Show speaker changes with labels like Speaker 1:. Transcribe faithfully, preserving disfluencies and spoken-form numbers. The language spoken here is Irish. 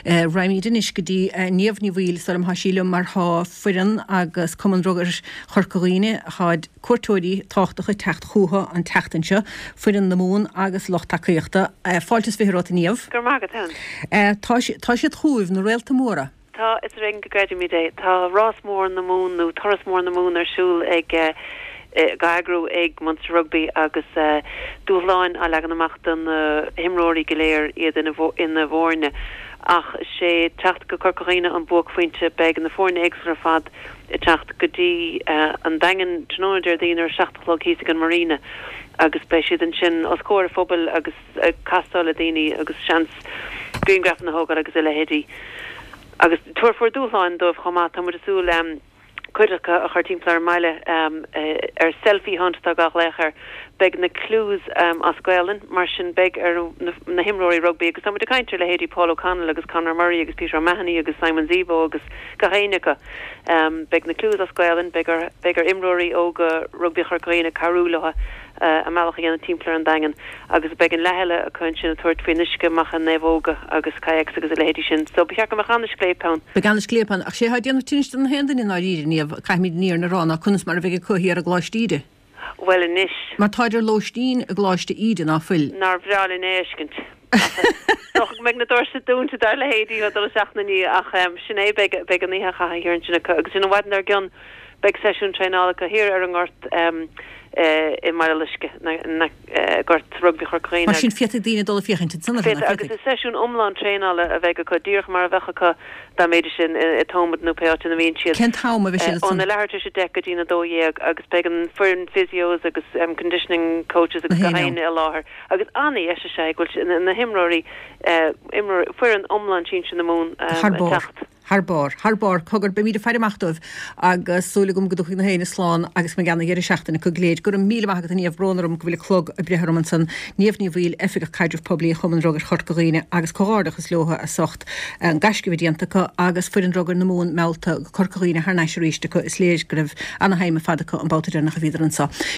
Speaker 1: Raghaimid anois go dtí Niamh Ní Bhaoill sula mbeidh sí liom mar thá foireann agus Cumann Rugair Chorca Dhuibhne, tháid cuairteoirí tábhachtacha ag teacht chucu an tseachtain seo, foireann na Mumhan agus lucht tacaíochta. Fáilte is fiche romhat a Niamh.
Speaker 2: Go raibh maith agat, Helen.
Speaker 1: Tá siad chugaibh, na réalta móra.
Speaker 2: Tá, is ar éigean go gcreidimid é. Tá Rás Mór na Mumhan nó Turas Mór na Mumhan ar siúl ag á eagrú ag Munster Rugby agus dúshláin á leagan amach do na himreoirí go léir, iad ina bhfoirne. Ach is é teacht go Corca Dhuibhne an buaicphointe. Beidh na foirne éagsúla ar fad ag teacht go dtí an Daingean tráthnóna Déardaoin ar a seacht a chlog thíos ag an Marina agus beidh siad ansin os comhair an phobail agus ag castáil le daoine agus seans grianghrafanna a thógáil agus a leithéidí. Agus tabharfar dúshláin dóibh chomh maith. Tá muid ag súil cuid acu a chur timpeall ar an mbaile ar selfie hunt atá á ghlaoch air. Beidh na clues as Gaolainn, mar sin beidh ar na himreoirí rugbaí, agus tá muid ag caint ar leithéidí Paul O'Connell agus Conor Murray agus Peter O'Mahony agus Simon Zebo agus gach éinne acu. Beidh na clues as Gaolainn, beidh ar beidh ar imreoirí óga rugbaí Chorca Dhuibhne cabhrú leo a mbealach a dhéanamh timpeall ar an Daingean agus beidh an leath eile acu ansin ag tabhairt faoin uisce amach i naomhóga agus kayaks agus a leithéidí sin. So ba cheart go mbeadh an-scléip ann.
Speaker 1: Beidh an-scléip ann. Ach sé atá ag déanamh tinnis do na haon duine i ndáiríre, Niamh, caithfimid an fhírinne a rá, ná conas mar a bheidh acu thiar i gColáiste Íde.
Speaker 2: Bhuel anois.
Speaker 1: Mar táid ar lóistín i gColáiste Íde, ná fuil?
Speaker 2: Nár bhreá linn é a fheiscint. Ach is dócha go mbeidh na doirse dúnta dár leithéidí ag dul isteach ina ndiaidh ach sin é, beidh beidh an oíche á chaitheamh thiar ansin acu agus sin an mhaidin dár gcionn beidh seisiún traenála acu thiar ar an ngort i mBaile Loiscthe, gort rugbaí Chorca Dhuibhne.
Speaker 1: Mar sin féadfaidh daoine dul ag féachaint ansan air,
Speaker 2: nach Féadfaidh, agus is seisiún iomlán traenála a bheidh acu, díreach mar a bheadh acu dá mbeidís i Thomond nó pé áit ina mbíonn siad.
Speaker 1: Cén t-am a bheidh siad ansan?
Speaker 2: Óna leathuair tar éis a deich go dtí'n a dó dhéag agus beidh an foireann physios agus conditioning coaches agus gach éinne i láthair agus an-dheis is ea é go bhfuil na himreoirí, foireann iomlán sinsir na Mumhan
Speaker 1: Thar
Speaker 2: ag
Speaker 1: barr.
Speaker 2: teacht.
Speaker 1: Thar barr. Thar barr. Cogar, beimid ag faire amach dóibh agus súil agam go dtiocfaidh na héinne slán agus go mbeidh ana-dheireadh seachtaine acu go léir. Go raibh míle maith agat a Niamh, brón orm go bhfuil an clog ag breith orm ansan. Niamh Ní Bhaoill, Oifigeach Caidrimh Poiblí Chumann Rugair Chorca Dhuibhne agus comhghairdeachas leo as ucht an gaisce a bheith déanta acu agus foireann rugair na Mumhan meallta go Corca Dhuibhne thar n-ais arís acu. Is léir go raibh ana-thime ar fad acu an babhta deireanach a bhíodar anso.